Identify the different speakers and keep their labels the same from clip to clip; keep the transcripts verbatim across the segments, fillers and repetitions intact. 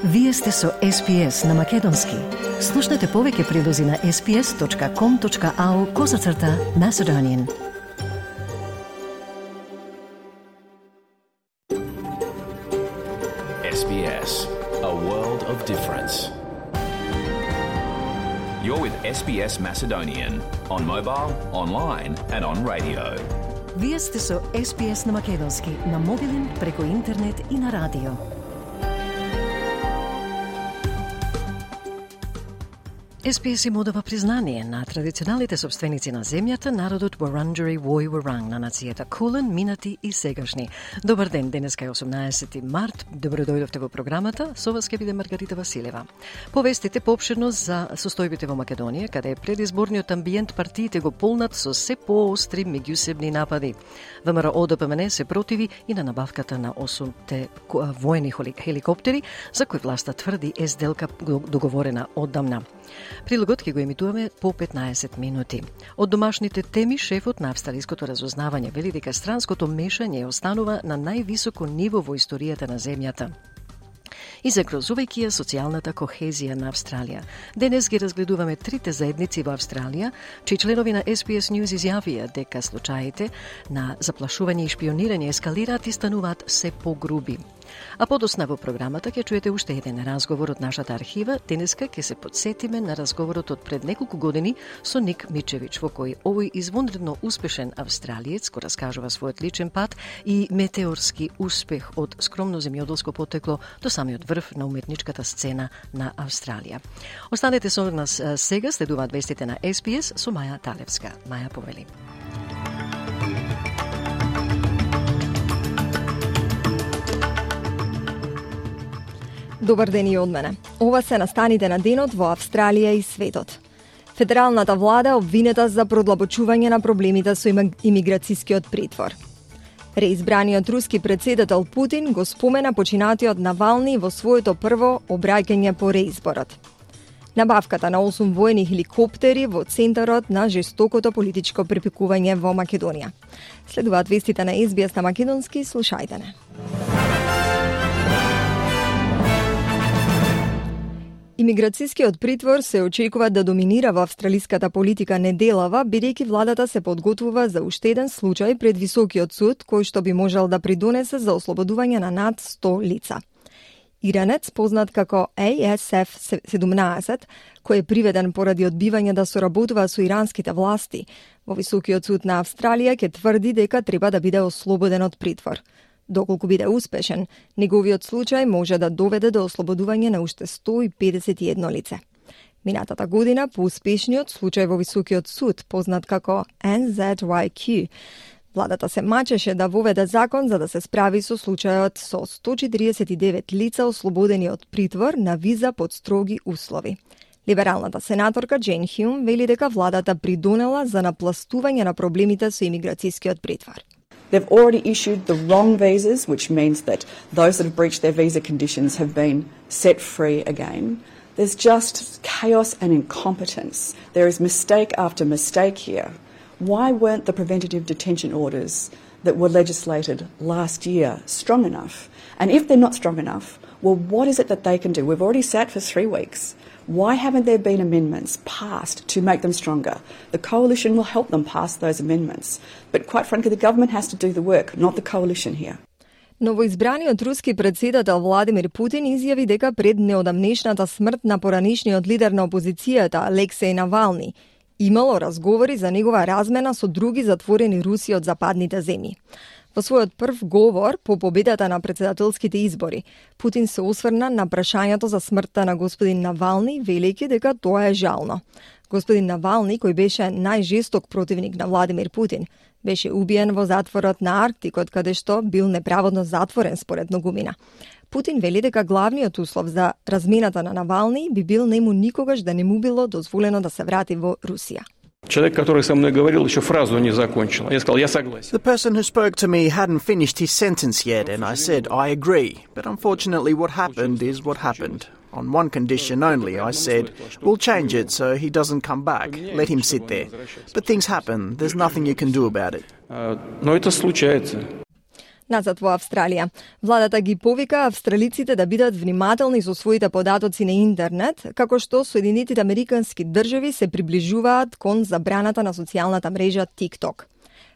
Speaker 1: Вие сте со Ес Би Ес на Македонски. Слушнете повеќе прилози на ес би ес точка ком точка ау козацрта Macedonian.
Speaker 2: Ес Би Ес, a world of difference. You're with Ес Би Ес Macedonian on mobile, online and on radio.
Speaker 1: Вие сте со Ес Би Ес на Македонски, на мобилен, преку интернет и на радио. Ес Би Ес им одава признание на традиционалните собственици на земјата, народот Вуранџери Вој Вуранг, на нацијата Кулен, минати и сегашни. Добар ден, денеска е осумнаесети март. Добро дојдовте во програмата. Со вас ќе биде Маргарита Василева. Повестите поопширно за состојбите во Македонија, каде предизборниот амбиент партиите го полнат со се поостри меѓусебни напади. ВМРО Д П М Н се противи и на набавката на осумте воени хеликоптери, за кои власта тврди е сделка договорена оддамна. Прилогот ќе го емитуваме по петнаесет минути. Од домашните теми, шефот на австралиското разузнавање вели дека странското мешање останува на највисоко ниво во историјата на земјата и загрозувајќи ја социјалната кохезија на Австралија. Денес ги разгледуваме трите заедници во Австралија, чии членови на Ес Би Ес News изјавија дека случаите на заплашување и шпионирање ескалираат и стануваат се погруби. А подосна во програмата ќе чуете уште еден разговор од нашата архива. Денеска ќе се подсетиме на разговорот од пред неколку години со Ник Мичевич, во кој овој извонредно успешен австралиец го раскажува својот личен пат и метеорски успех од скромно земјоделско потекло до самиот врв на уметничката сцена на Австралија. Останете со нас сега, следуваат вестите на Ес Би Ес со Маја Талевска. Маја, повели.
Speaker 3: Добар ден и од мене. Ова се настаните на денот во Австралија и светот. Федералната влада обвинета за продлабочување на проблемите со имиграцијскиот притвор. Реизбраниот руски претседател Путин го спомена починатиот Навални во своето прво обраќање по реизборот. Набавката на осум воени хеликоптери во центарот на жестокото политичко препикување во Македонија. Следуваат вестите на Ес Би Ес на Македонски, слушајте не. Имиграцијскиот притвор се очекува да доминира во австралиската политика неделава, бидејќи владата се подготвува за уште еден случај пред Високиот суд, кој што би можел да придонесе за ослободување на над сто лица. Иранец, познат како Ей Ес Еф седумнаесет, кој е приведен поради одбивање да соработува со иранските власти, во Високиот суд на Австралија ќе тврди дека треба да биде ослободен од притвор. Доколку биде успешен, неговиот случај може да доведе до ослободување на уште сто и педесет и едно лице. Минатата година, по успешниот случај во Високиот суд, познат како Ен Зет Уај Кју, владата се мачеше да воведе закон за да се справи со случајот со сто четиридесет и девет лица ослободени од притвор на виза под строги услови. Либералната сенаторка Джейн Хјум вели дека владата придонела за напластување на проблемите со имиграцијскиот притвор.
Speaker 4: They've already issued the wrong visas, which means that those that have breached their visa conditions have been set free again. There's just chaos and incompetence. There is mistake after mistake here. Why weren't the preventative detention orders that were legislated last year strong enough? And if they're not strong enough, well, what is it that they can do? We've already sat for three weeks. Why haven't there been amendments passed to make them stronger? The coalition will help them pass those amendments. But quite frankly, the government has to do the work, not the coalition here.
Speaker 3: Новоизбраниот руски претседател Владимир Путин изјави дека пред неодамнешната смрт на поранишниот лидер на опозицијата Алексеј Навални имало разговори за негова размена со други затворени руси од западните земји. Во својот прв говор по победата на претседателските избори, Путин се осврна на прашањето за смртта на господин Навални, велејќи дека тоа е жално. Господин Навални, кој беше најжесток противник на Владимир Путин, беше убиен во затворот на Арктикот, каде што бил неправедно затворен според многумина. Путин вели дека главниот услов за размената на Навални би бил нему никогаш да не му било дозволено да се врати во Русија.
Speaker 5: Человек, который со мной говорил, еще фразу не закончил. Я сказал, я согласен.
Speaker 6: The person who spoke to me hadn't finished his sentence yet, and I said, I agree. But unfortunately what happened is what happened. On one condition only, I said, we'll change it so he doesn't come back. Let him sit there. But things happen. There's nothing you can do about it.
Speaker 5: Но это случается.
Speaker 3: Назад во Австралија. Владата ги повика австралиците да бидат внимателни со своите податоци на интернет, како што Соединетите Американски држави се приближуваат кон забраната на социјалната мрежа TikTok.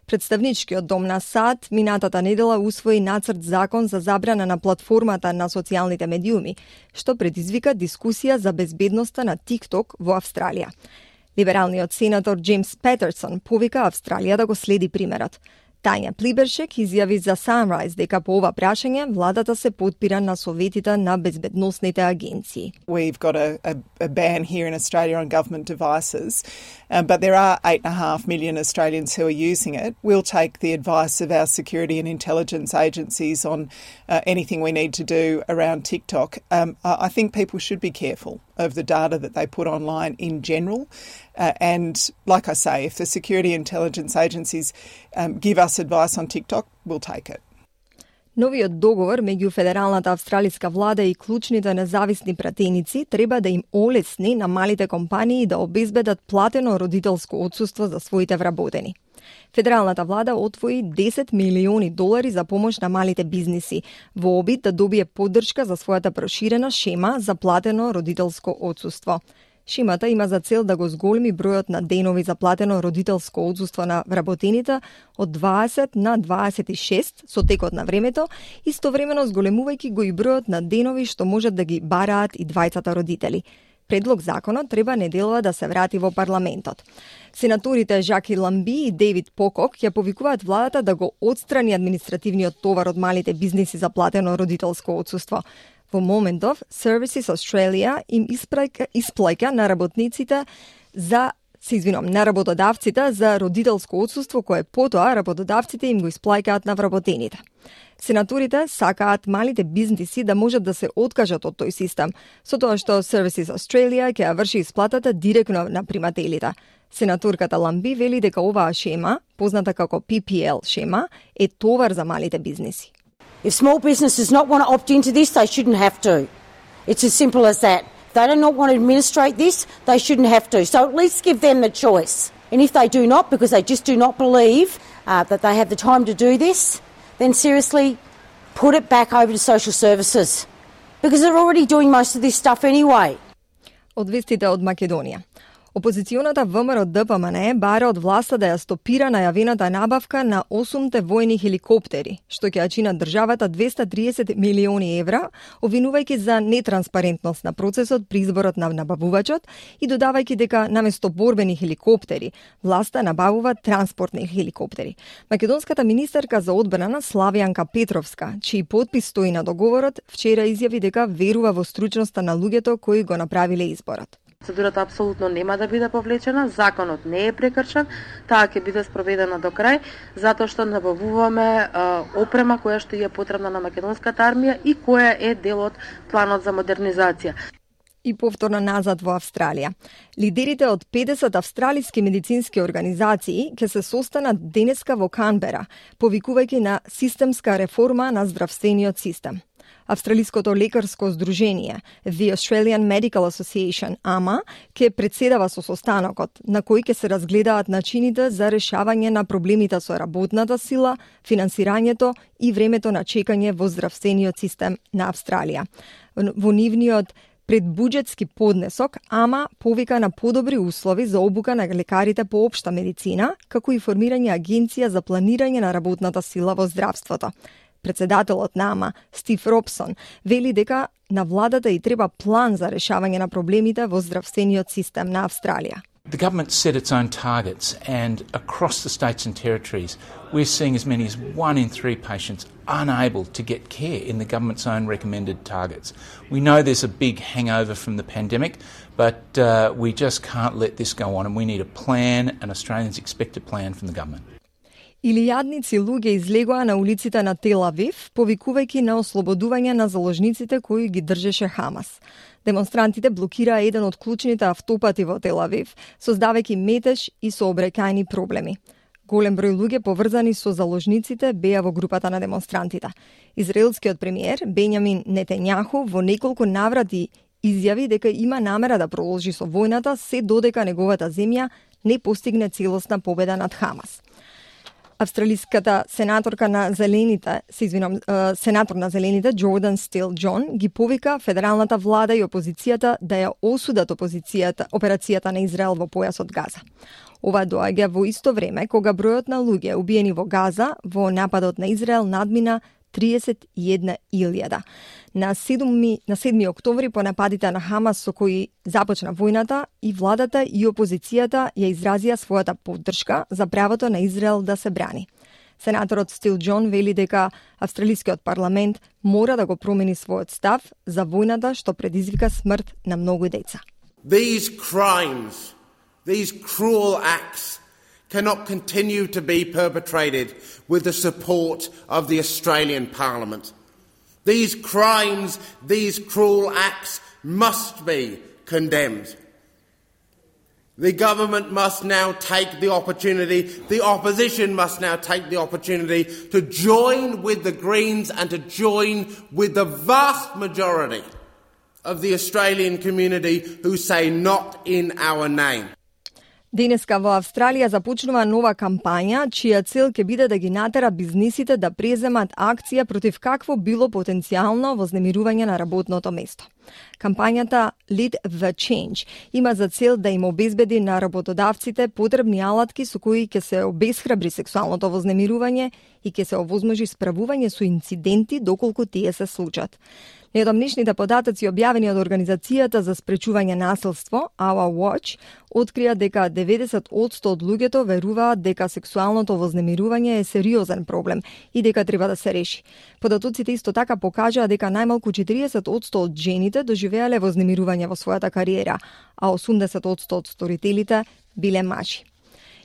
Speaker 3: Представничкиот дом на САД минатата недела усвои нацрт закон за забрана на платформата на социјалните медиуми, што предизвика дискусија за безбедноста на TikTok во Австралија. Либералниот сенатор Джеймс Петерсон повика Австралија да го следи примерот. Тања Плибершек изјави за Sunrise дека по ова прашање владата се потпира на советите на безбедносните агенции.
Speaker 7: We've got a, a, a ban here in Australia on government devices, um, but there are eight and a half million Australians who are using it. We'll take the advice of our security and intelligence agencies on uh, anything we need to do around TikTok. Um, I think people should be careful of the data that they put online in general. Uh, and like I say, if the security intelligence agencies um, give us advice on TikTok, we'll take it.
Speaker 3: Новиот договор меѓу Федералната австралиска влада и клучните независни пратеници треба да им олесни на малите компании да обезбедат платено родителско отсуство за своите вработени. Федералната влада отвои десет милиони долари за помош на малите бизниси во обид да добие поддршка за својата проширена шема за платено родителско отсуство. Шемата има за цел да го зголеми бројот на денови за платено родителско отсуство на вработените од дваесет на дваесет и шест со текот на времето, истовремено зголемувајќи го и бројот на денови што можат да ги бараат и двајцата родители. Предлог законот треба неделова да се врати во парламентот. Сенаторите Жаки Ламби и Дейвид Покок ја повикуваат владата да го отстрани административниот товар од малите бизниси за платено родителско отсуство. Во моментов, Services Australia им испраќа, исплаќа на работниците за се извинувам, на работодавците за родителско отсуство кое потоа работодавците им го исплаќаат на вработените. Сенаторите сакаат малите бизниси да можат да се откажат од тој систем, со тоа што Services Australia ќе ја врши исплатата директно на примателите. Сенаторката Ламби вели дека оваа шема, позната како P P L шема, е товар за малите бизниси.
Speaker 8: If small businesses not want to opt into this, they shouldn't have to. It's as simple as that. If they do not want to administrate this, they shouldn't have to. So at least give them the choice. And if they do not, because they just do not believe uh, that they have the time to do this, then seriously put it back over to social services. Because they're already doing most of this stuff anyway.
Speaker 3: Од вестите од Македонија. Опозиционата В М R Д П М Н Е бара од власта да ја стопира најавената набавка на осумте војни хеликоптери, што ќе ја чинат државата двесте триесет милиони евра, обвинувајќи за нетранспарентност на процесот при изборот на набавувачот и додавајќи дека наместо борбени хеликоптери, власта набавува транспортни хеликоптери. Македонската министерка за одбрана Славјанка Петровска, чиј подпис стои на договорот, вчера изјави дека верува во стручноста на луѓето кои го направиле изборот.
Speaker 9: Процедурата апсолутно нема да биде повлечена, законот не е прекршен, таа ќе биде спроведена до крај, затоа што набавуваме а, опрема која што е потребна на македонската армија и која е дел од планот за модернизација.
Speaker 3: И повторно назад во Австралија. Лидерите од педесет австралиски медицински организации ќе се состанат денеска во Канбера, повикувајќи на системска реформа на здравствениот систем. Австралиското лекарско здружение, The Australian Medical Association, А М А, ќе председава со состанокот, на кој ќе се разгледаат начините за решавање на проблемите со работната сила, финансирањето и времето на чекање во здравствениот систем на Австралија. Во нивниот предбуџетски поднесок, А М А повика на подобри услови за обука на лекарите по општа медицина, како и формирање агенција за планирање на работната сила во здравството. Председателот на А М А, Стив Робсон, вели дека на владата и треба план за решавање на проблемите во здравствениот систем на Австралија.
Speaker 10: The government set its own targets, and across the states and territories, we're seeing as many as one in three patients unable to get care in the government's own recommended targets. We know there's a big hangover from the pandemic, but uh, we just can't let this go on, and we need a plan, and Australians expect a plan from the government.
Speaker 3: Илијадници луѓе излегоа на улиците на Тел Авив, повикувајќи на ослободување на заложниците кои ги држеше Хамас. Демонстрантите блокираа еден од клучните автопати во Тел Авив, создавајќи метеж и сообраќајни проблеми. Голем број луѓе поврзани со заложниците беа во групата на демонстрантите. Израелскиот премиер Бенјамин Нетањаху во неколку наврати изјави дека има намера да продолжи со војната се додека неговата земја не постигне целосна победа над Хамас. Австралиската сенаторка на Зелените, се извинам, сенатор на Зелените, Джордан Стил Джон, ги повика федералната влада и опозицијата да ја осудат опозицијата, операцијата на Израел во појасот Газа. Ова доаѓа во исто време кога бројот на луѓе убиени во Газа во нападот на Израел надмина триесет и една илјада. На седми, на седми октомври по нападите на Хамас со кои започна војната, и владата и опозицијата ја изразија својата поддршка за правото на Израел да се брани. Сенаторот Стил Джон вели дека австралискиот парламент мора да го промени својот став за војната што предизвика смрт на многу деца.
Speaker 11: These crimes, these cruel acts cannot continue to be perpetrated with the support of the Australian Parliament. These crimes, these cruel acts must be condemned. The government must now take the opportunity, the opposition must now take the opportunity to join with the Greens and to join with the vast majority of the Australian community who say not in our name.
Speaker 3: Денеска во Австралија започнува нова кампања, чија цел ќе биде да ги натера бизнисите да преземат акција против какво било потенцијално вознемирување на работното место. Кампањата Lead the Change има за цел да им обезбеди на работодавците потребни алатки со кои ќе се обесхрабри сексуалното вознемирување и ќе се овозможи справување со инциденти доколку тие се случат. Неодамнешните податоци објавени од Организацијата за спречување насилство, Our Watch, открија дека деветдесет одсто од луѓето веруваат дека сексуалното вознемирување е сериозен проблем и дека треба да се реши. Податоците исто така покажаа дека најмалку четириесет одсто од жените доживеале вознемирување во својата кариера, а осумдесет одсто од сторителите биле мажи.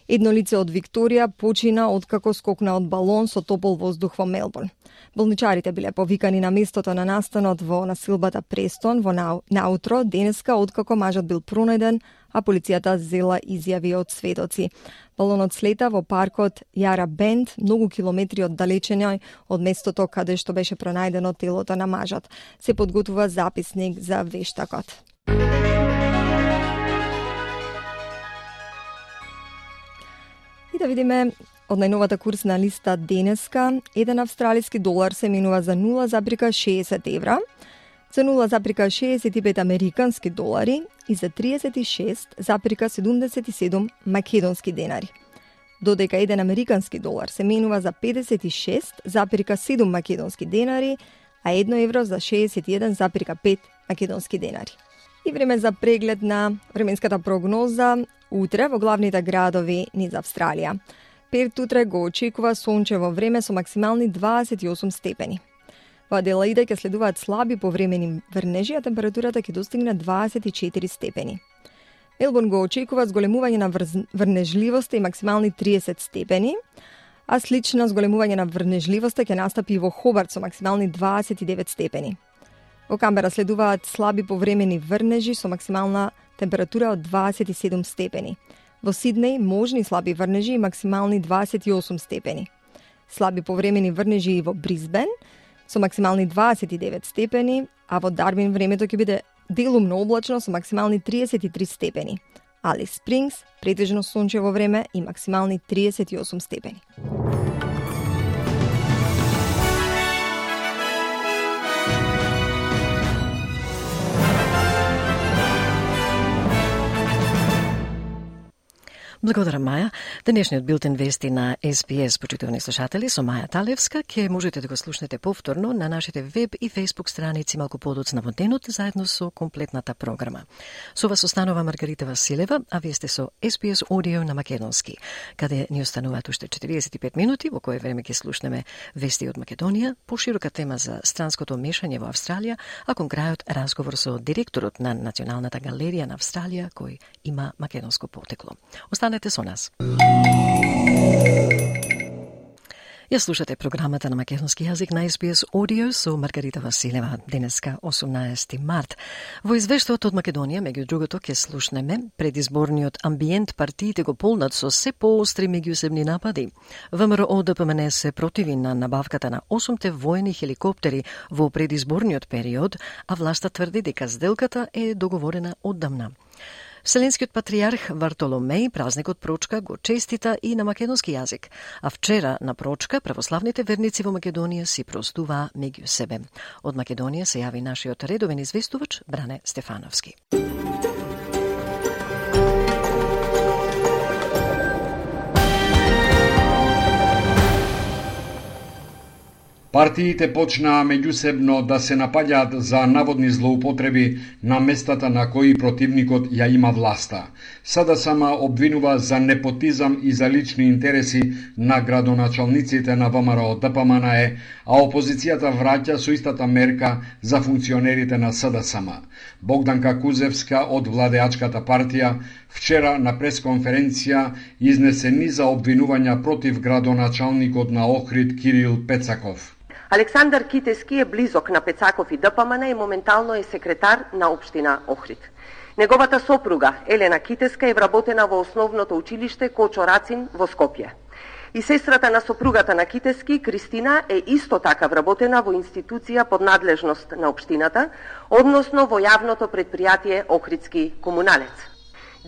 Speaker 3: Едно лице од Викторија почина откако скокна од балон со топол воздух во Мелбурн. Болничарите биле повикани на местото на настанот во насилбата Престон во наутро денеска откако мажот бил пронајден, а полицијата зела изјави од сведоци. Балонот слета во паркот Јара Бенд, многу километри оддалечено од местото каде што беше пронајдено телото на мажот. Се подготвува записник за вештакот. И да видиме од најновата курсна листа денеска, еден австралиски долар се менува за нула зарез шеесет евра, за нула зарез шеесет и пет американски долари и за триесет и шест зарез седумдесет и седум македонски денари. Додека еден американски долар се менува за педесет и шест зарез седум македонски денари, а едно евро за шеесет и еден зарез пет македонски денари. И време за преглед на временската прогноза утре во главните градови низ Австралија. Перт утре го очекува сончево време со максимални дваесет и осум степени. Во Аделаида ќе следуваат слаби повремени врнежи, а температурата ќе достигне дваесет и четири степени. Мелбурн го очекува зголемување на врнежливоста и максимални триесет степени, а слично зголемување на врнежливоста ќе настапи и во Хобарт со максимални дваесет и девет степени. Во Камбера следуваат слаби повремени врнежи со максимална температура од дваесет и седум степени. Во Сиднеј можни слаби врнежи и максимални дваесет и осум степени. Слаби повремени врнежи и во Брисбен со максимални дваесет и девет степени, а во Дарвин времето ќе биде делумно облачно со максимални триесет и три степени. Алис Спрингс претежно сончево време и максимални триесет и осум степени.
Speaker 1: Благодарам, Маја. Денешниот билтен вести на Ес Би Ес, почитувани слушатели, со Маја Талевска, ќе можете да го слушнете повторно на нашите веб и фейсбук страници малку подоцна во денот, заедно со комплетната програма. Со вас останува Маргарита Василева, а вие сте со Ес Би Ес Audio на македонски, каде ни остануваат уште четириесет и пет минути, во кое време ќе слушнеме вести од Македонија, поширока тема за странското мешање во Австралија, а кон крајот разговор со директорот на Националната галерија на Австралија, кој има македонско потекло. Останете со нас. Ја слушате програмата на македонски јазик на Ес Би Ес Audio со Маргарита Василева, денеска осумнаесети март. Во извештаот од Македонија, меѓу другото, ќе слушнеме предизборниот амбиент, партиите го полнат со се поостри меѓусебни напади. ВМРО Д П М Н се противи на набавката на осумте воени хеликоптери во предизборниот период, а власта тврди дека сделката е договорена оддамна. Вселенскиот патријарх Вартоломеј празникот Прочка го честита и на македонски јазик, а вчера на Прочка православните верници во Македонија си простуваа меѓу себе. Од Македонија се јави нашиот редовен известувач Бране Стефановски.
Speaker 12: Партиите почнаа меѓусебно да се напаѓаат за наводни злоупотреби на местата на кои противникот ја има власта. СДСМ обвинува за непотизам и за лични интереси на градоначалниците на ВМРО ДПМНЕ, а опозицијата враќа со истата мерка за функционерите на СДСМ. Богданка Кузевска од владеачката партија вчера на пресконференција изнесе низа обвинувања против градоначалникот на Охрид Кирил Пецаков.
Speaker 13: Александар Китески е близок на Пецаков и ДПМН и моментално е секретар на општина Охрид. Неговата сопруга Елена Китеска е вработена во основното училиште Кочо Рацин во Скопје. И сестрата на сопругата на Китески, Кристина, е исто така вработена во институција под надлежност на општината, односно во јавното предпријатие Охридски комуналец.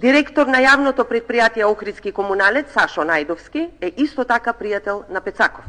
Speaker 13: Директор на јавното предпријатие Охридски комуналец Сашо Најдовски е исто така пријател на Пецаков.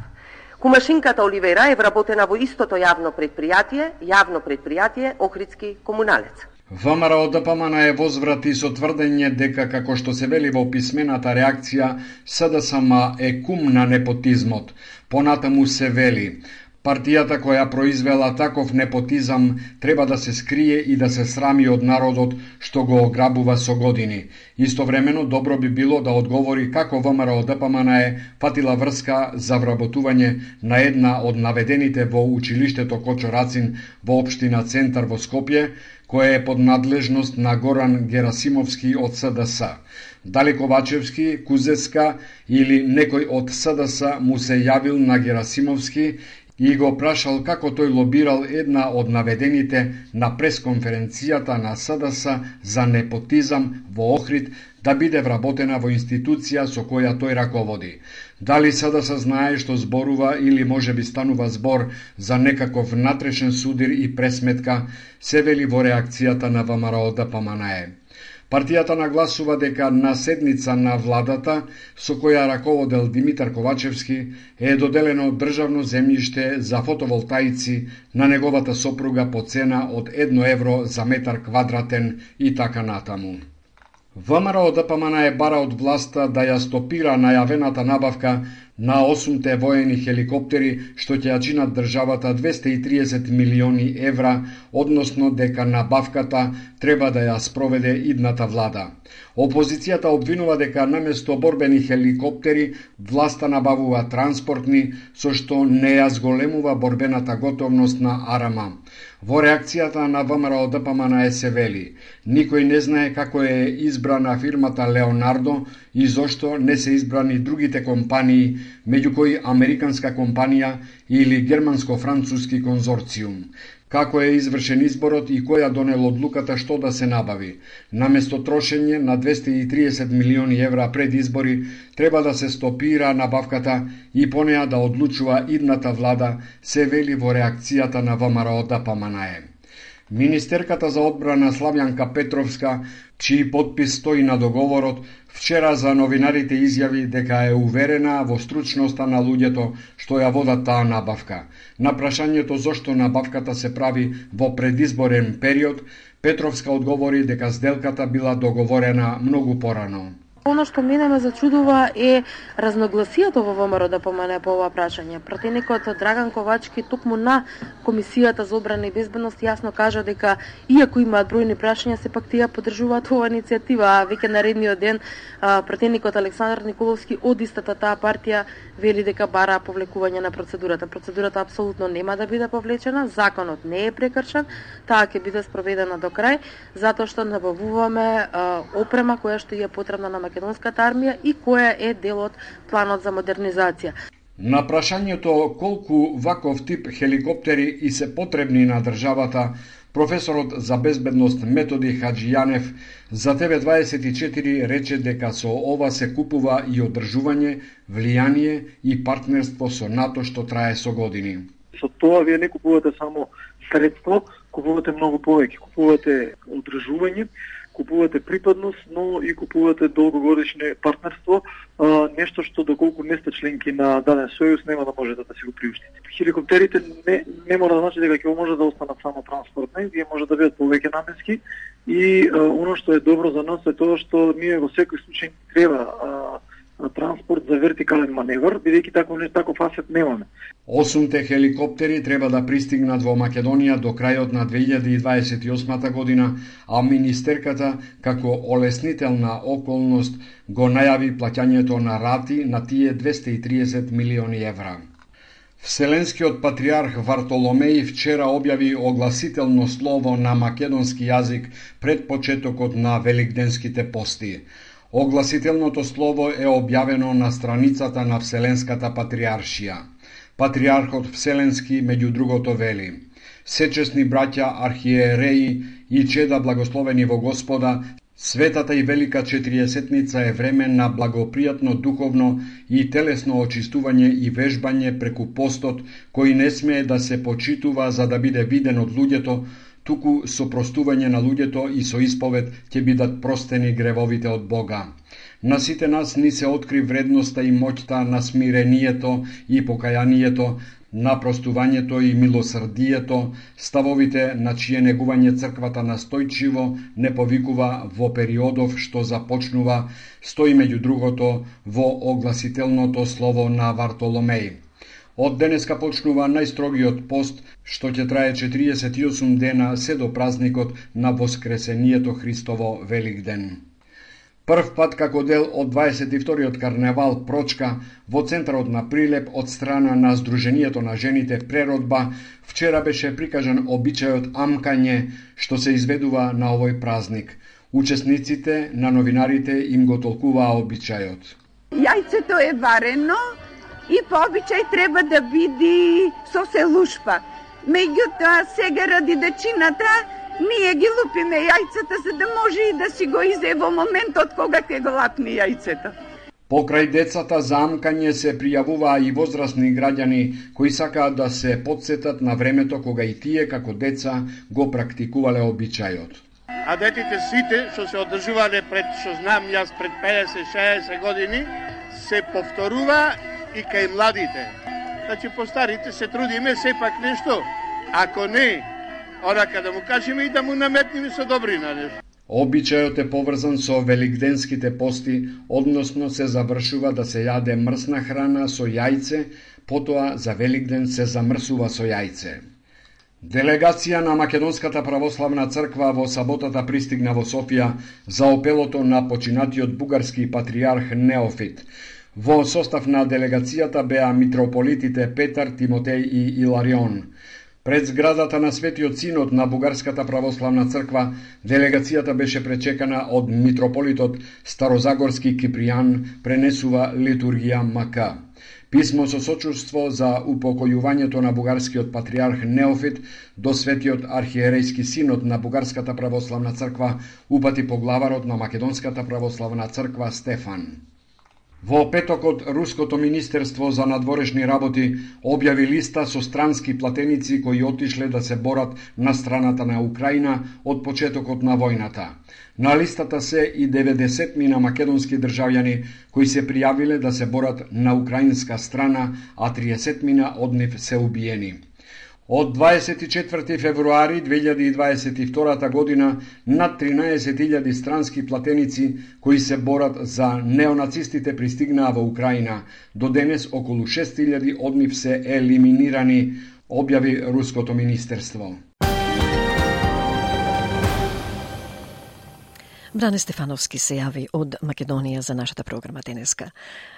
Speaker 13: Кумашинката Оливера е вработена во истото јавно предпријатие, јавно предпријатие Охридски комуналец.
Speaker 12: ВМРО ДПМНЕ возврати со тврдење дека, како што се вели во писмената реакција, СДСМ е кум на непотизмот. Понатаму се вели: партијата која произвела таков непотизам треба да се скрие и да се срами од народот што го ограбува со години. Истовремено добро би било да одговори како ВМРО ДПМНЕ фатила врска за вработување на една од наведените во училиштето Кочо Рацин во општина Центар во Скопје, која е под надлежност на Горан Герасимовски од СДС. Дали Ковачевски, Кузеска или некој од СДС му се јавил на Герасимовски и го прашал како тој лобирал една од наведените на пресконференцијата на СДС за непотизам во Охрид да биде вработена во институција со која тој раководи. Дали СДС знае што зборува или може би станува збор за некаков натрешен судир и пресметка, се вели во реакцијата на ВМРО ДПМНЕ. Партијата нагласува дека на седница на владата, со која раководел Димитар Ковачевски, е доделено државно земјиште за фотоволтаици на неговата сопруга по цена од едно евро за метар квадратен и така натаму. ВМРО ДПМНЕ бара од власта да ја стопира најавената набавка на осумте воени хеликоптери што ќе ја чинат државата двесте и триесет милиони евра, односно дека набавката треба да ја спроведе идната влада. Опозицијата обвинува дека наместо борбени хеликоптери власта набавува транспортни, со што не ја зголемува борбената готовност на Арама. Во реакцијата на ВМРО ДПМНЕ се вели: никој не знае како е избрана фирмата Леонардо и зошто не се избрани другите компании, меѓу кои американска компанија или германско-француски конзорциум. Како е извршен изборот и која донел одлуката што да се набави. Наместо трошење на двесте и триесет милиони евра пред избори, треба да се стопира набавката и по неа да одлучува идната влада, се вели во реакцијата на ВМРО ДПМНЕ. Министерката за одбрана Славјанка Петровска, чиј подпис стои на договорот, вчера за новинарите изјави дека е уверена во стручноста на луѓето што ја водат таа набавка. На прашањето зошто набавката се прави во предизборен период, Петровска одговори дека сделката била договорена многу порано.
Speaker 9: Оно што мене ме зачудува е разногласијата во ВМРО ДПМНЕ по ова прашање. Пратеникот Драган Ковачки токму на Комисијата за одбрана и безбедност јасно кажа дека иако имаат бројни прашања, сепак тие поддржуваат оваа иницијатива, а веќе наредниот ден пратеникот Александар Николовски од истата таа партија вели дека бара повлекување на процедурата. Процедурата апсолутно нема да биде повлечена, законот не е прекршен, таа ќе биде спроведена до крај, затоа што набавуваме опрема која што е потребна на македонската армија и која е дел од планот за модернизација.
Speaker 12: На прашањето колку ваков тип хеликоптери и се потребни на државата, професорот за безбедност Методи Хаджијанев за Т В дваесет и четири рече дека со ова се купува и одржување, влијание и партнерство со НАТО што трае со години.
Speaker 14: Со тоа вие не купувате само средство, купувате многу повеќе, купувате одржување, купувате припадност, но и купувате долгогодишно партнерство, а, нешто што доколку не сте членки на даден сојуз нема да можете да си го приуштите. Хеликоптерите не, не мора да значи дека ќе може да останат само транспортни, вие може да бидат повеќе наменски и а, оно што е добро за нас е тоа што ние во секој случај треба а, транспорт за вертикален маневр, бидејќи таков не таков асет немаме.
Speaker 12: Осумте хеликоптери треба да пристигнат во Македонија до крајот на две илјади дваесет и осма година, а министерката како олеснителна околност го најави плаќањето на рати на тие двесте и триесет милиони евра. Вселенскиот патриарх Вартоломеј вчера објави огласително слово на македонски јазик пред почетокот на великденските пости. Огласителното слово е објавено на страницата на Вселенската патриаршија. Патриархот Вселенски, меѓу другото, вели: Сечесни браќа, архиереи и чеда благословени во Господа, светата и велика четириесетница е време на благопријатно духовно и телесно очистување и вежбање преку постот, кој не смее да се почитува за да биде виден од луѓето, туку со простување на луѓето и со исповед ќе бидат простени гревовите од Бога. На сите нас ни се откри вредноста и моќта на смирението и покајанието, на простувањето и милосрдието, ставовите на чие негување црквата настојчиво не повикува во периодов што започнува, стои меѓу другото во огласителното слово на Вартоломеј. Од денеска почнува најстрогиот пост, што ќе трае четириесет и осум дена се до празникот на Воскресението Христово Великден. Прв пат како дел од дваесет и вториот карневал Прочка во центарот на Прилеп од страна на Сдруженијето на жените Преродба, вчера беше прикажан обичајот амкање што се изведува на овој празник. Учесниците на новинарите им го толкуваа обичајот.
Speaker 15: Јајцето е варено и по обичај треба да биде со селушпа. Меѓутоа, сега ради дечината, ние ги лупиме јајцата за да може и да си го изе во моментот кога ќе го лапни јајцето.
Speaker 12: Покрај децата за амкање се пријавуваа и возрастни граѓани кои сакаат да се потсетат на времето кога и тие како деца го практикувале обичајот.
Speaker 16: А детите сите што се одржувале пред, што знам јас, пред педесет шеесет години, се повторува и кај младите. Значи по старите се трудиме сепак нешто, ако не, онака да му кажеме и да му наметнеме со добрина нешто.
Speaker 12: Обичајот е поврзан со великденските пости, односно се завршува да се јаде мрсна храна со јајце, потоа за Великден се замрсува со јајце. Делегација на Македонската православна црква во саботата пристигна во Софија за опелото на починатиот бугарски патриарх Неофит. Во состав на делегацијата беа митрополитите Петар, Тимотеј и Иларион. Пред зградата на Светиот Синод на Бугарската православна црква, делегацијата беше пречекана од митрополитот Старозагорски Кипријан, пренесува литургија Мака. Писмо со сочувство за упокојувањето на бугарскиот патриарх Неофит до Светиот архиерејски синод на Бугарската православна црква упати поглаварот на Македонската православна црква Стефан. Во петокот, Руското министерство за надворешни работи објави листа со странски платеници кои отишле да се борат на страната на Украина од почетокот на војната. На листата се и деветдесет мина македонски државјани кои се пријавиле да се борат на украинска страна, а триесет мина од нив се убиени. Од дваесет и четврти февруари две илјади дваесет и втора година над тринаесет илјади странски платеници кои се борат за неонацистите пристигнаа во Украина. До денес околу шест илјади од нив се елиминирани, објави Руското министерство.
Speaker 1: Бране Стефановски се јави од Македонија за нашата програма денеска.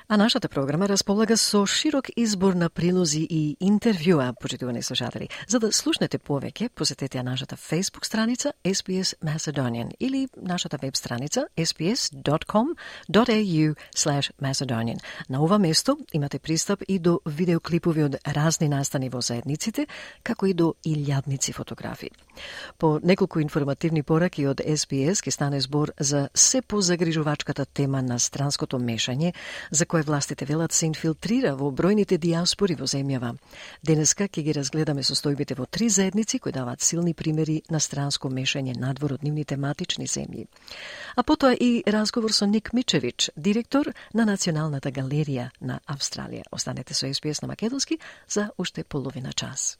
Speaker 1: А нашата програма располага со широк избор на прилози и интервјуа, почитувани слушатели. За да слушнете повеќе, посетете нашата Facebook страница S B S Macedonian или нашата веб страница s b s dot com dot a u slash macedonian. На ова место имате пристап и до видеоклипови од разни настани во заедниците, како и до илјадници фотографии. По неколку информативни пораки од S B S ке стане збор збор за се позагрижувачката тема на странското мешање, за кое властите велат се инфилтрира во бројните диаспори во земјава. Денеска ќе ги разгледаме состојбите во три заедници кои даваат силни примери на странско мешање надвор од нивните матични земји. А потоа и разговор со Ник Мичевич, директор на Националната галерија на Австралија. Останете со Ес Би Ес на македонски за уште половина час.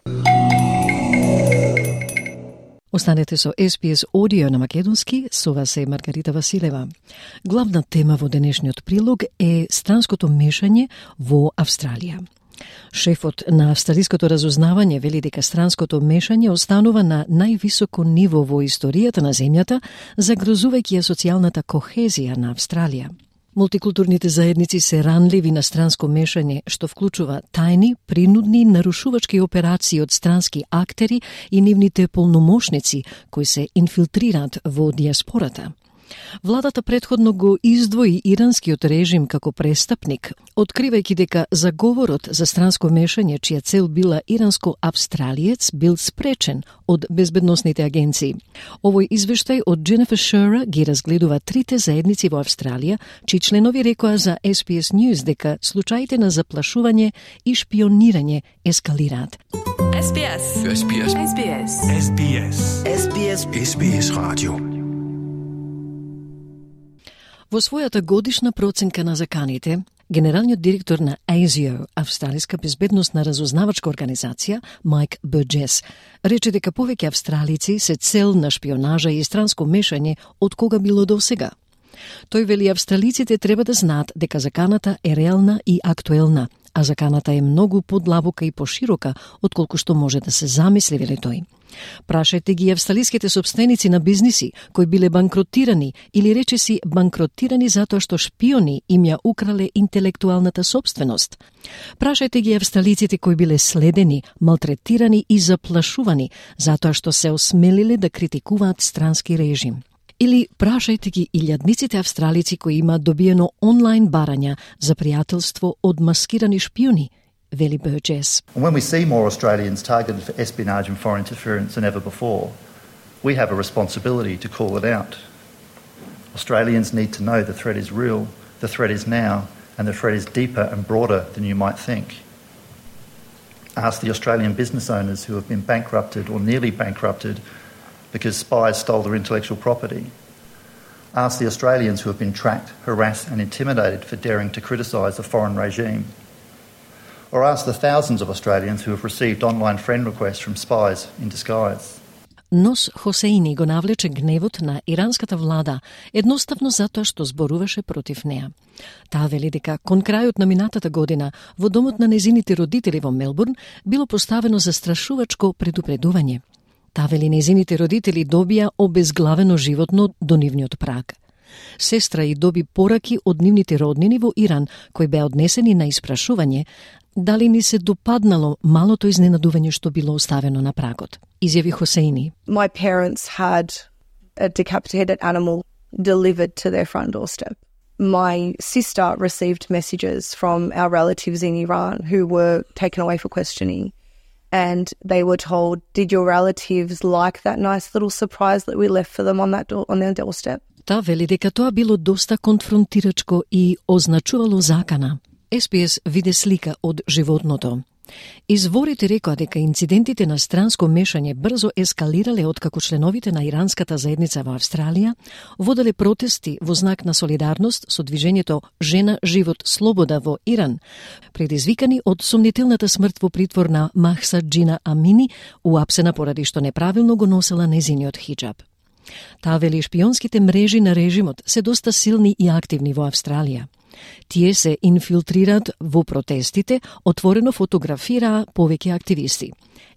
Speaker 1: Останете со Ес Би Ес Audio на македонски, со вас е Маргарита Василева. Главна тема во денешниот прилог е странското мешање во Австралија. Шефот на австралиското разузнавање вели дека странското мешање останува на највисоко ниво во историјата на земјата, загрозувајќи ја социјалната кохезија на Австралија. Мултикултурните заедници се ранливи на странско мешање, што вклучува тајни, принудни, нарушувачки операции од странски актери и нивните полномошници кои се инфилтрираат во диаспората. Владата предходно го издвои иранскиот режим како престапник, откривајќи дека заговорот за странско мешање, чија цел била иранско-австралиец, бил спречен од безбедносните агенции. Овој извештај од Дженефер Шера ги разгледува трите заедници во Австралија, чии членови рекоа за Ес Би Ес News дека случаите на заплашување и шпионирање ескалираат.
Speaker 17: Ес Би Ес. Ес Би Ес. Ес Би Ес. Ес Би Ес. Ес Би Ес. Ес Би Ес радио.
Speaker 1: Во својата годишна проценка на заканите, генералниот директор на А С И О, Австралиска безбедносна разузнавачка организација, Майк Бурджес, рече дека повеќе австралици се цел на шпионажа и странско мешање од кога било до сега. Тој вели австралиците треба да знаат дека заканата е реална и актуелна, а заканата е многу подлабока и поширока отколку што може да се замисли, вели тој. Прашајте ги австралиските собственици на бизниси кои биле банкротирани или речиси банкротирани затоа што шпиони им ја украле интелектуалната собственост. Прашајте ги австралиците кои биле следени, малтретирани и заплашувани затоа што се осмелиле да критикуваат странски режим. Или прашајте ги илјадниците австралици кои имаат добиено онлайн барања за пријателство од маскирани шпиони, вели Бурджес.
Speaker 18: When we see more Australians targeted for espionage and foreign interference than ever before, we have a responsibility to call it out. Australians need to know the threat is real, the threat is now, and the threat is deeper and broader than you might think. Ask the Australian business owners who have been bankrupted or nearly bankrupted because spies stole their intellectual property. Ask the Australians who have been tracked, harassed and intimidated for daring to criticise a foreign regime. Or ask the thousands of Australians who have received online friend requests from spies in disguise.
Speaker 1: Нос Хосеини го навлече гневот на иранската влада едноставно затоа што зборуваше против неа. Таа вели дека кон крајот на минатата година во домот на незините родители во Мелбурн било поставено застрашувачко предупредување. Таа вели незините родители добија обезглавено животно до нивниот праг. Сестра и доби пораки од нивните роднини во Иран, кои беа однесени на испрашување дали ни се допаднало малото изненадување што било оставено на прагот. Изјави Хосеини.
Speaker 19: My parents had a decapitated animal delivered to their front doorstep. My sister received messages from our relatives in Iran who were taken away for questioning. And they were told, did your relatives like that nice little surprise that we left for them on that door, on their doorstep?
Speaker 1: Та вели дека тоа било доста конфронтирачко и означувало закана. Ес Би Ес виде слика од животното. Изворите рекоа дека инцидентите на странско мешање брзо ескалирале откако членовите на иранската заедница во Австралија воделе протести во знак на солидарност со движењето Жена, живот, слобода во Иран, предизвикани од сомнителната смрт во притвор на Махса Джина Амини, уапсена поради што неправилно го носела незиниот хиджаб. Таа вели шпионските мрежи на режимот се доста силни и активни во Австралија. Тие се инфилтрираат во протестите, отворено фотографираа повеќе активисти.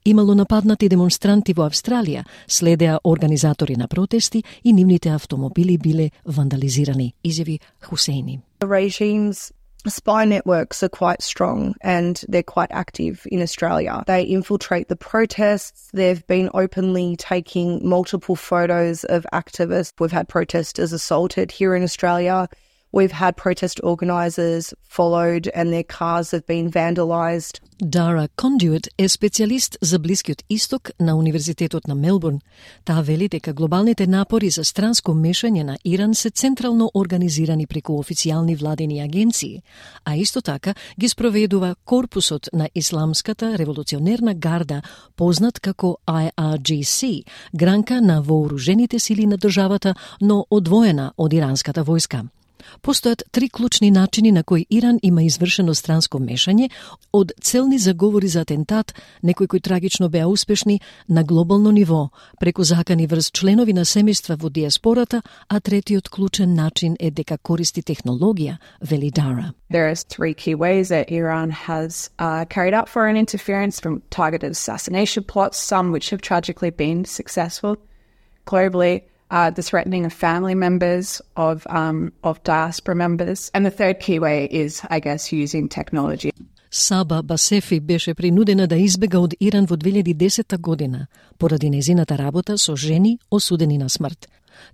Speaker 1: Имало нападнати демонстранти во Австралија, следеа организатори на протести и нивните автомобили биле вандализирани, изјави Хусейни.
Speaker 19: The regime's spy networks are quite strong and they're quite active in Australia. They infiltrate the protests. They've been openly taking multiple photos of activists. We've had protesters assaulted here in Australia. We've had protest organisers followed and their cars have been vandalised.
Speaker 1: Dara Conduit е специјалист за Блискиот Исток на Универзитетот на Мелбурн. Таа вели дека глобалните напори за странско мешање на Иран се централно организирани преку официјални владени агенции, а исто така ги спроведува корпусот на Исламската револуционерна гарда, познат како I R G C, гранка на вооружените сили на државата, но одвоена од иранската војска. Постојат три клучни начини на кои Иран има извршено странско мешање, од целни заговори за атентат, некои кои трагично беа успешни на глобално ниво, преку закани врз членови на семејства во диаспората, а третиот клучен начин е дека користи технологија, вели Дара.
Speaker 20: There are three key ways that Iran has uh, carried out foreign interference, from targeted assassination plots, some which have tragically been successful globally, Uh, the threatening of family members, of um, of diaspora members. And the third key way is, I guess, using technology.
Speaker 1: Саба Басефи беше принудена да избега од Иран во две илјади и десета година, поради незината работа со жени осудени на смрт.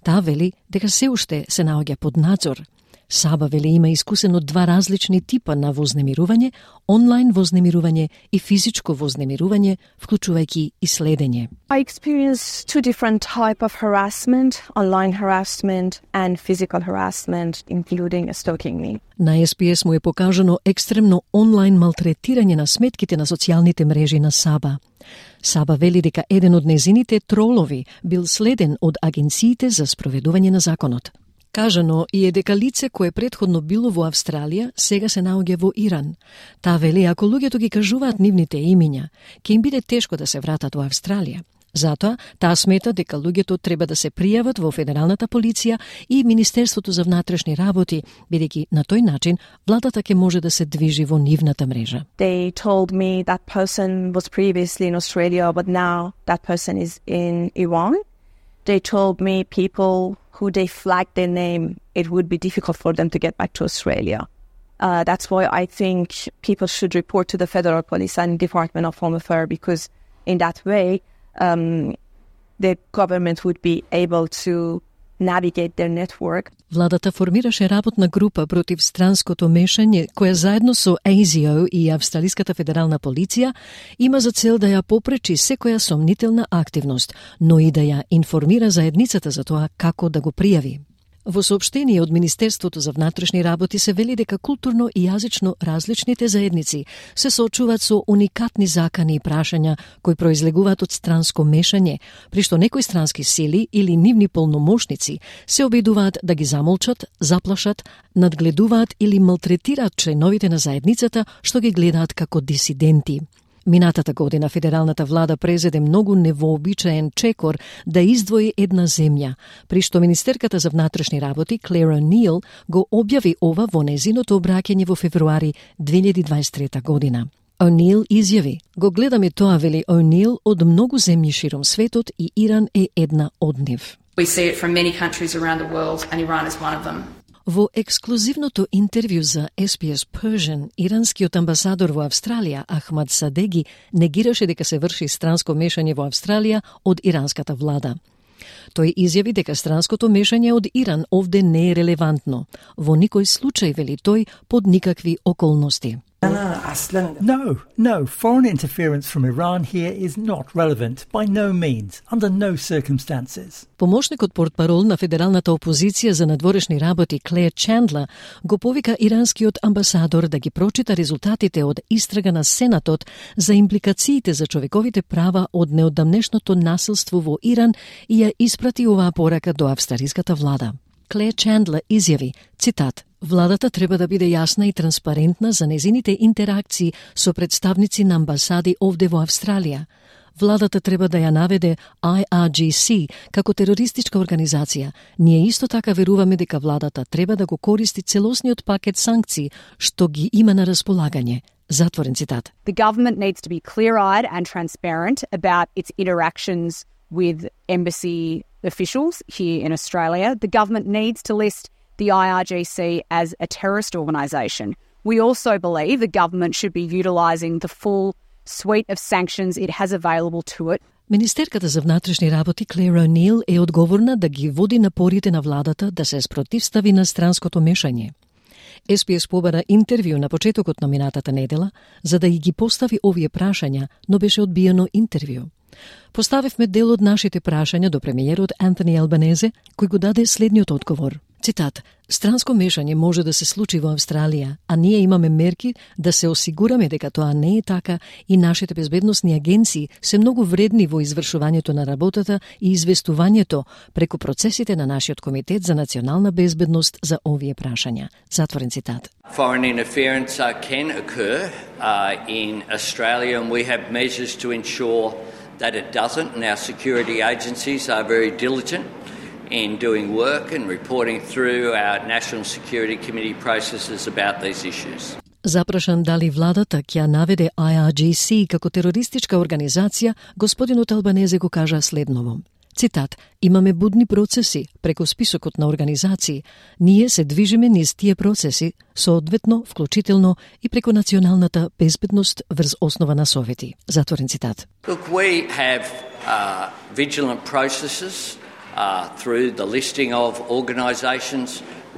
Speaker 1: Таа вели дека се уште се наоѓа под надзор. Саба вели има искусено два различни типа на вознемирување, онлайн вознемирување и физичко вознемирување, вклучувајќи и следење.
Speaker 19: I experienced two different type of harassment, online harassment and physical harassment, including stalking me.
Speaker 1: На Ес Би Ес му е покажано екстремно онлайн малтретирање на сметките на социјалните мрежи на Саба. Саба вели дека еден од незините тролови бил следен од агенциите за спроведување на законот. Кажано и е дека лице кое претходно било во Австралија, сега се наоѓа во Иран. Таа вели ако луѓето ги кажуваат нивните имиња, ќе им биде тешко да се вратат во Австралија. Затоа, таа смета дека луѓето треба да се пријават во Федералната полиција и Министерството за внатрешни работи, бидејќи на тој начин владата ќе може да се движи во нивната мрежа.
Speaker 19: They told me that person was previously in Australia, but now that person is in Iran. They told me people who they flagged their name, it would be difficult for them to get back to Australia. Uh, that's why I think people should report to the Federal Police and Department of Home Affairs, because in that way, um, the government would be able to navigate their network.
Speaker 1: Владата формираше работна група против странското мешање, која заедно со А С О и Австралиската федерална полиција има за цел да ја попречи секоја сомнителна активност, но и да ја информира заедницата за тоа како да го пријави. Во соопштение од Министерството за внатрешни работи се вели дека културно и јазично различните заедници се соочуваат со уникатни закани и прашања кои произлегуваат од странско мешање, при што некои странски сили или нивни полномошници се обидуваат да ги замолчат, заплашат, надгледуваат или малтретираат членовите на заедницата што ги гледаат како дисиденти. Минатата година федералната влада презеде многу невообичаен чекор да издвои една земја, при што министерката за внатрешни работи Клер О'Нил го објави ова во незиното обраќање во февруари две илјади и дваесет и трета година. О'Нил изјави: "Го гледаме тоа", вели О'Нил, "од многу земји широм светот и Иран е една од нив."
Speaker 21: We see it from many countries around the world and Iran is one of them.
Speaker 1: Во ексклузивното интервју за Ес Би Ес Persian, иранскиот амбасадор во Австралија Ахмад Садеги негираше дека се врши странско мешање во Австралија од иранската влада. Тој изјави дека странското мешање од Иран овде не е релевантно. Во никој случај, вели тој, под никакви околности.
Speaker 22: No, no, foreign interference from Iran here is not relevant, by no means, under no circumstances.
Speaker 1: Помошникот портпарол на федералната опозиција за надворешни работи Клер Чандла го повика иранскиот амбасадор да ги прочита резултатите од истрага на Сенатот за импликациите за човековите права од неодамнешното насилство во Иран и ја испрати оваа порака до австралиската влада. Клер Чандла изјави, цитат: "Владата треба да биде јасна и транспарентна за незините интеракции со представници на амбасади овде во Австралија. Владата треба да ја наведе I R G C како терористичка организација. Ние исто така веруваме дека владата треба да го користи целосниот пакет санкции што ги има на располагање." Затворен цитат.
Speaker 23: The government needs to be clear-eyed and transparent about its interactions with embassy officials here in Australia. The government needs to list the I R G C as a terrorist organisation. We also believe the government should be utilising the full suite of sanctions it has available to it.
Speaker 1: Министерката за внатрешни работи Клер О'Нил е одговорна да ги води напорите на владата да се спротивстави на странското мешање. Ес Би Ес побара интервју на почетокот на минатата недела за да ги постави овие прашања, но беше одбиено интервју. Поставивме дел од нашите прашања до премиерот Антони Албанезе, кој го даде следниот одговор. Цитат: "Странско мешање може да се случи во Австралија, а ние имаме мерки да се осигураме дека тоа не е така и нашите безбедносни агенции се многу вредни во извршувањето на работата и известувањето преку процесите на нашиот комитет за национална безбедност за овие прашања." Затворен цитат.
Speaker 2: Foreign interference uh, can occur uh, in Australia, and we have measures to ensure that it doesn't, and our security agencies are very diligent in doing work and reporting through our National Security Committee processes about these issues.
Speaker 1: Запрашан дали владата ќе наведе Ай Ар Джи Си како терористичка организација, господинот Албанезе го кажа следново. Цитат: "Имаме будни процеси преку списокот на организации. Ние се движиме низ тие процеси, соодветно, вклучително и преку националната безбедност врз основа на совети." Затворен цитат.
Speaker 2: Look, we have uh, vigilant processes uh, through the listing of organisations.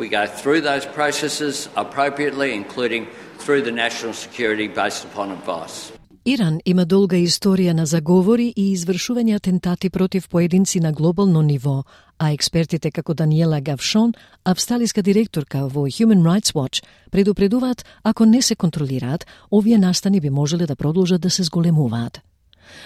Speaker 2: We go through those processes appropriately, including through the national security based upon advice.
Speaker 1: Иран има долга историја на заговори и извршување атентати против поединци на глобално ниво, а експертите како Даниела Гавшон, австралиска директорка во Human Rights Watch, предупредуваат ако не се контролираат, овие настани би можеле да продолжат да се зголемуваат.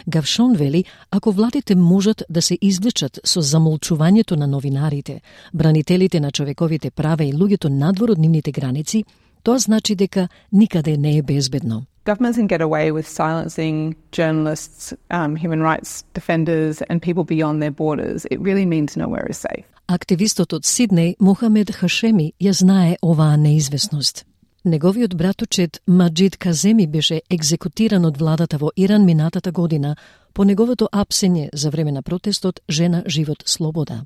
Speaker 1: Гавшон вели, ако владите можат да се извлечат со замолчувањето на новинарите, бранителите на човековите права и луѓето надвор од нивните граници, тоа значи дека никаде не е безбедно.
Speaker 20: Governments can get away with silencing journalists, um, human rights defenders and people beyond their borders. It really means nowhere is safe.
Speaker 1: Активистот од Сиднеј, Мохамед Хашеми, ја знае оваа неизвестност. Неговиот братучет Маджид Каземи беше екзекутиран од владата во Иран минатата година по неговото апсење за време на протестот "Жена, живот, слобода".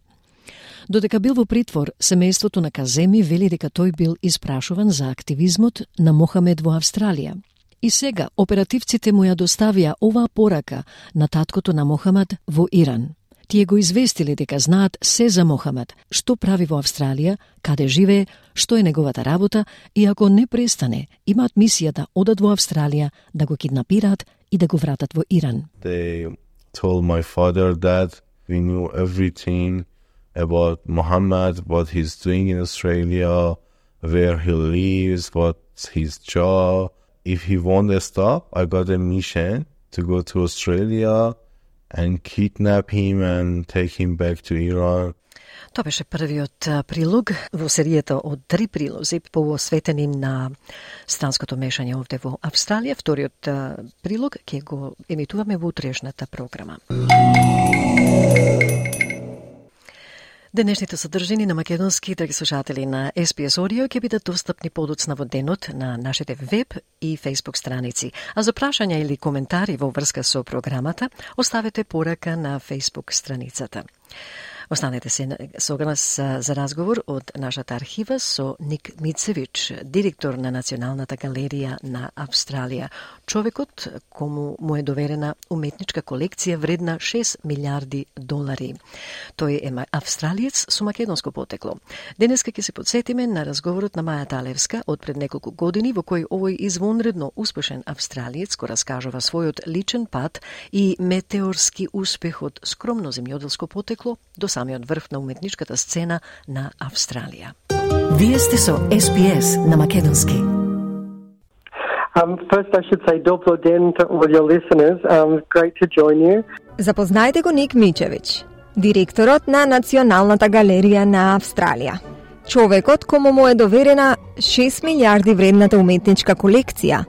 Speaker 1: Додека бил во притвор, семејството на Каземи вели дека тој бил испрашуван за активизмот на Мохамед во Австралија. И сега оперативците му ја доставија оваа порака на таткото на Мохамед во Иран. Тие го известиле дека знаат се за Мохамед, што прави во Австралија, каде живее, што е неговата работа и ако не престане, имаат мисија да одат во Австралија, да го киднапираат и да го вратат во Иран.
Speaker 4: They told my father that we knew everything about Mohammed, what he's doing in Australia, where he lives, what's his job. If he won't stop, I got a mission to go to Australia and kidnap him and take him back to Iran.
Speaker 1: Тоа беше првиот прилог во серијата од три прилози посветени на странското мешање овде во Австралија. Вториот прилог ќе го емитуваме во утрешната програма. Денешните содржини на македонски, драги слушатели на Ес Би Ес Audio, ќе бидат достапни подоцна во денот на нашите веб и фейсбук страници. А за прашања или коментари во врска со програмата, оставете порака на фейсбук страницата. Останете се со нас за разговор од нашата архива со Ник Мицевич, директор на Националната галерија на Австралија. Човекот кому му е доверена уметничка колекција вредна шест милиарди долари. Тој е австралиец со македонско потекло. Денеска ќе се подсетиме на разговорот на Маја Талевска од пред неколку години, во кој овој извонредно успешен австралиец го раскажува својот личен пат и метеорски успех од скромно земјоделско потекло до самиот врв на уметничката сцена на Австралија. Вие сте со Ес Би Ес на македонски.
Speaker 6: Um, first, I should say dobro den to all your listeners. Um, great to join you.
Speaker 3: Запознаете го Ник Мичевич, директорот на Националната галерија на Австралија. Човекот кому му е доверена шест милиарди вредната уметничка колекција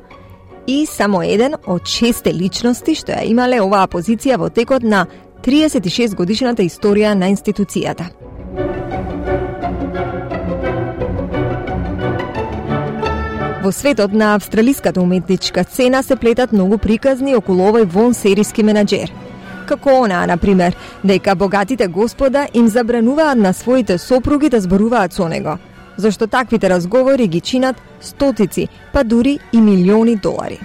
Speaker 3: и само еден од шесте личности што ја имале оваа позиција во текот на триесет и шест годишната историја на институцијата. Во светот на австралиската уметничка сцена се плетат многу приказни околу овој вонсериски менаџер. Како онаа, например, дека богатите господа им забрануваат на своите сопруги да зборуваат со него, зашто таквите разговори ги чинат стотици, па дури и милиони долари.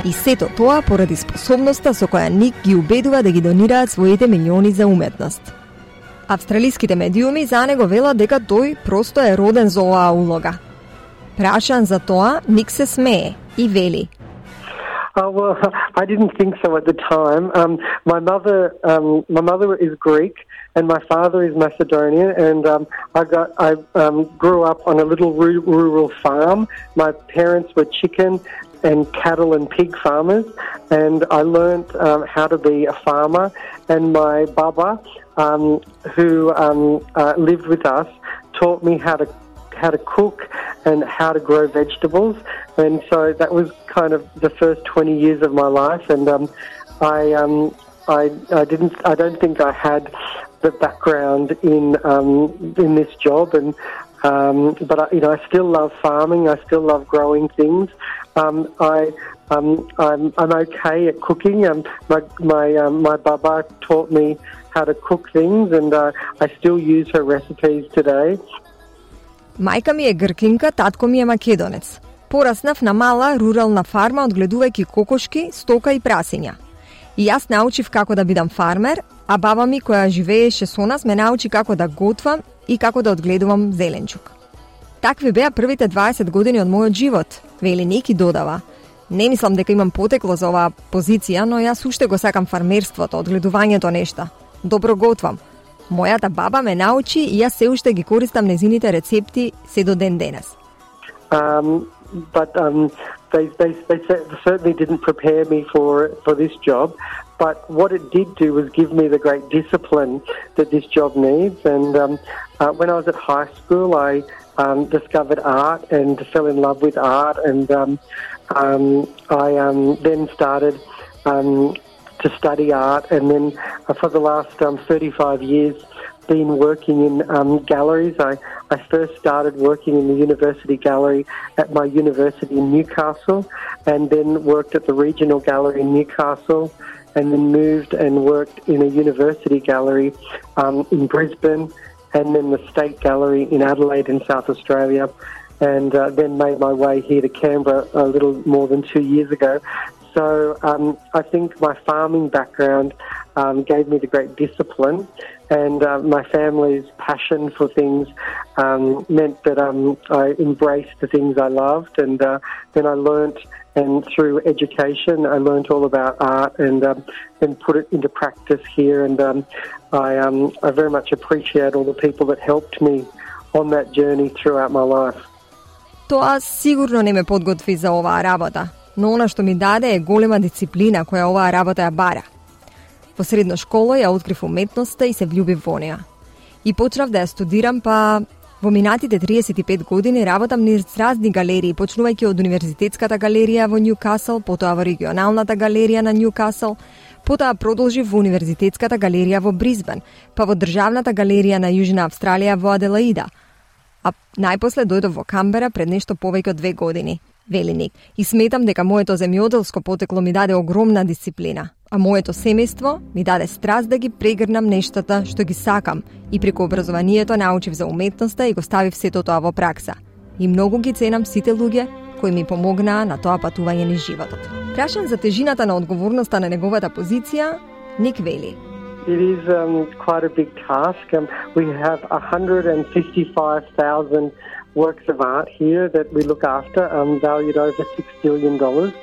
Speaker 3: И сето тоа поради способноста со која Ник ги убедува да ги донираат своите милиони за уметност. Австралиските медиуми за него велат дека тој просто е роден за оваа улога. Прашан за тоа, Ник се смее и вели:
Speaker 6: Oh, well, I didn't think so at the time. Um, my mother, um, my mother is Greek, and my father is Macedonian. And um, I got, I um, grew up on a little rural farm. My parents were chicken and cattle and pig farmers, and I learnt um, how to be a farmer. And my baba, um, who um, uh, lived with us, taught me how to how to cook and how to grow vegetables, and so that was kind of the first twenty years of my life. And um, I, um, I, I didn't, I don't think I had the background in um, in this job, and um, but I, you know, I still love farming. I still love growing things. Um, I, um, I'm, I'm okay at cooking. Um, my my um, my baba taught me how to cook things, and uh, I still use her recipes today.
Speaker 3: Мајка ми е гркинка, татко ми е македонец. Пораснав на мала рурална фарма одгледувајќи кокошки, стока и прасиња. И јас научив како да бидам фармер, а баба ми која живееше со нас ме научи како да готвам и како да одгледувам зеленчук. Такви беа првите дваесет години од мојот живот, вели Ник и додава: Не мислам дека имам потекло за оваа позиција, но јас уште го сакам фармерството, одгледувањето нешта. Добро готвам. Мојата баба ме научи и јас се уште ги користам незините рецепти се до ден денес.
Speaker 6: Um, but um, they, they, they certainly didn't prepare me for, for this job. But what it did do was give me the great discipline that this job needs. And um, uh, when I was at high school, I um, discovered art and fell in love with art. And um, um, I um, then started um, to study art. And then uh, for the last um, thirty-five years, been working in um, galleries. I, I first started working in the University Gallery at my university in Newcastle, and then worked at the Regional Gallery in Newcastle, and then moved and worked in a university gallery um, in Brisbane, and then the State Gallery in Adelaide in South Australia, and uh, then made my way here to Canberra a little more than two years ago. So um, I think my farming background um, gave me the great discipline, and uh, my family's passion for things um, meant that um, I embraced the things I loved, and uh, then I learnt, and through education I learnt all about art, and um, then put it into practice here, and um, I, um, I very much appreciate all the people that helped me on that journey throughout my life.
Speaker 3: Тоа сигурно не ме подготви за оваа работа, но она што ми даде е голема дисциплина која оваа работа ја бара. Во средна школа ја открив уметноста и се влюбив во неа. И почнав да ја студирам, па во минатите триесет и пет години работам низ разни галерии, почнувајќи од Универзитетската галерија во Ньюкасл, потоа во Регионалната галерија на Ньюкасл, потоа продолжив во Универзитетската галерија во Брисбен, па во Државната галерија на Јужна Австралија во Аделаида. А најпосле дојдов во Камбера пред нешто повеќе од две години, вели Ник. И сметам дека моето земјоделско потекло ми даде огромна дисциплина, а моето семејство ми даде страст да ги прегрнам нештата што ги сакам, и преку образованието научив за уметноста и го ставив сето тоа во пракса. И многу ги ценам сите луѓе кои ми помогнаа на тоа патување низ животот. Прашан за тежината на одговорноста на неговата позиција, Ник вели:
Speaker 6: It is um, quite a big task. Um, we have one hundred fifty-five thousand works of art here that we look after, um, valued over six billion dollars.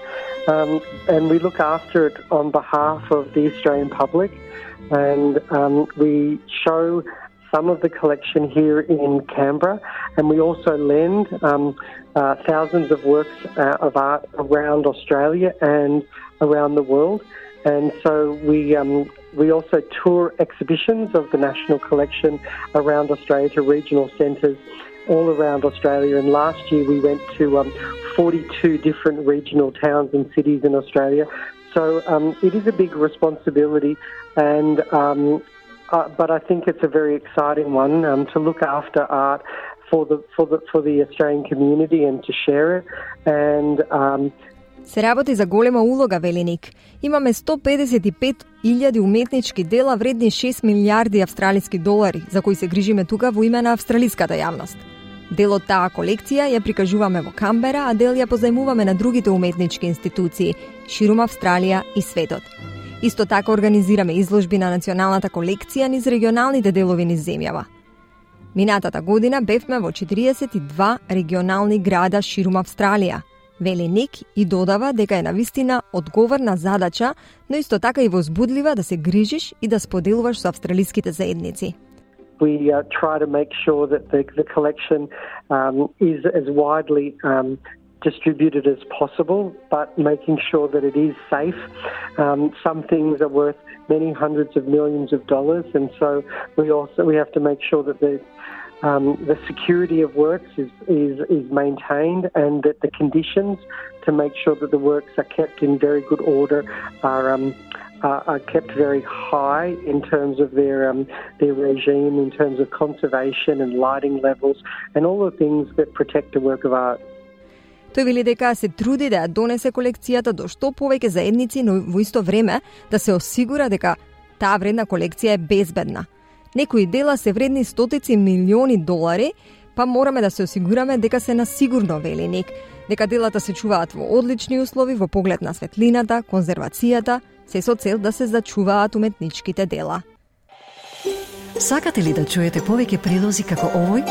Speaker 6: Um, and we look after it on behalf of the Australian public. And um, we show some of the collection here in Canberra. And we also lend um, uh, thousands of works uh, of art around Australia and around the world. And so we um, we also tour exhibitions of the national collection around Australia to regional centres all around Australia. And last year we went to um, forty-two different regional towns and cities in Australia. So um, it is a big responsibility, and um, uh, but I think it's a very exciting one um, to look after art for the for the for the Australian community and to share it. And um,
Speaker 3: Се работи за голема улога, вели Ник. Имаме сто педесет и пет илјади уметнички дела вредни шест милијарди австралиски долари, за кои се грижиме тука во име на австралиската јавност. Дел од таа колекција ја прикажуваме во Камбера, а дел ја позајмуваме на другите уметнички институции ширум Австралија и светот. Исто така организираме изложби на националната колекција низ регионалните делови низ земјава. Минатата година бевме во четириесет и два регионални града ширум Австралија. Вели Ник и додава дека е навистина одговорна задача, но исто така и возбудлива да се грижиш и да споделуваш со австралиските заедници.
Speaker 6: We uh, try to make sure that the, the collection um, is as widely um, distributed as possible, but making sure that it is safe. Um, some things are worth many hundreds of millions of dollars, and so we also we have to make sure that the um, the security of works is, is is maintained, and that the conditions to make sure that the works are kept in very good order are um, are, are kept very high in terms of their um, their regime, in terms of conservation and lighting levels, and all the things that protect a work of art.
Speaker 3: Тој вели дека се труди да ја донесе колекцијата до што повеќе заедници, но во исто време да се осигура дека таа вредна колекција е безбедна. Некои дела се вредни стотици милиони долари, па мораме да се осигураме дека се на сигурно, вели Ник, дека делата се чуваат во одлични услови во поглед на светлината, конзервацијата, се со цел да се зачуваат уметничките дела.
Speaker 1: Сакате ли да чуете повеќе прилози како овој?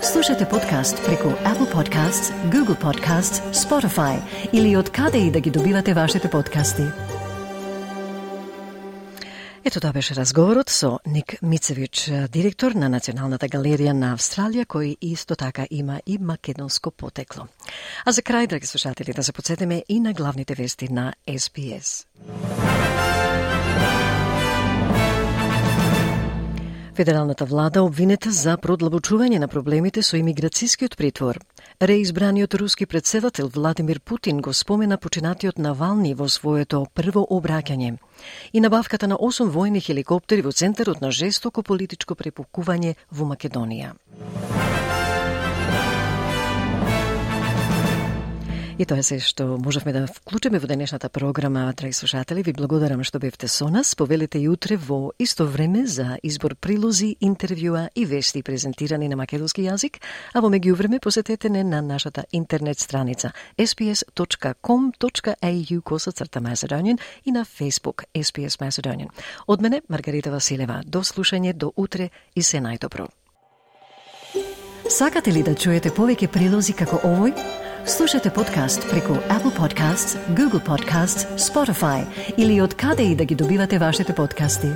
Speaker 1: Слушате подкаст преку Apple Podcasts, Google Podcasts, Spotify или од каде и да ги добивате вашите подкасти. Ето тоа беше разговорот со Ник Мицевич, директор на Националната галерија на Австралија, кој исто така има и македонско потекло. А за крај, драги слушатели, да се потсетиме и на главните вести на Ес Би Ес. Федералната влада обвинета за продлабочување на проблемите со имиграцијскиот притвор. Реизбраниот руски председател Владимир Путин го спомена починатиот Навални во своето прво обраќање и набавката на осум војни хеликоптери во центарот на жестоко политичко препукување во Македонија. И тоа е се што можевме да вклучиме во денешната програма, драги слушатели. Ви благодарам што бевте со нас. Повелете и утре во исто време за избор прилози, интервјуа и вести презентирани на македонски јазик, а во меѓувреме посетете не на нашата интернет страница ес би ес точка ком точка ей ю косацрта Macedonian и на Facebook Ес Би Ес Macedonian. Од мене, Маргарита Василева. До слушање до утре и се најдобро. Сакате ли да чуете повеќе прилози како овој? Слушате подкаст преку Apple Podcasts, Google Podcasts, Spotify или од каде и да ги добивате вашите подкасти.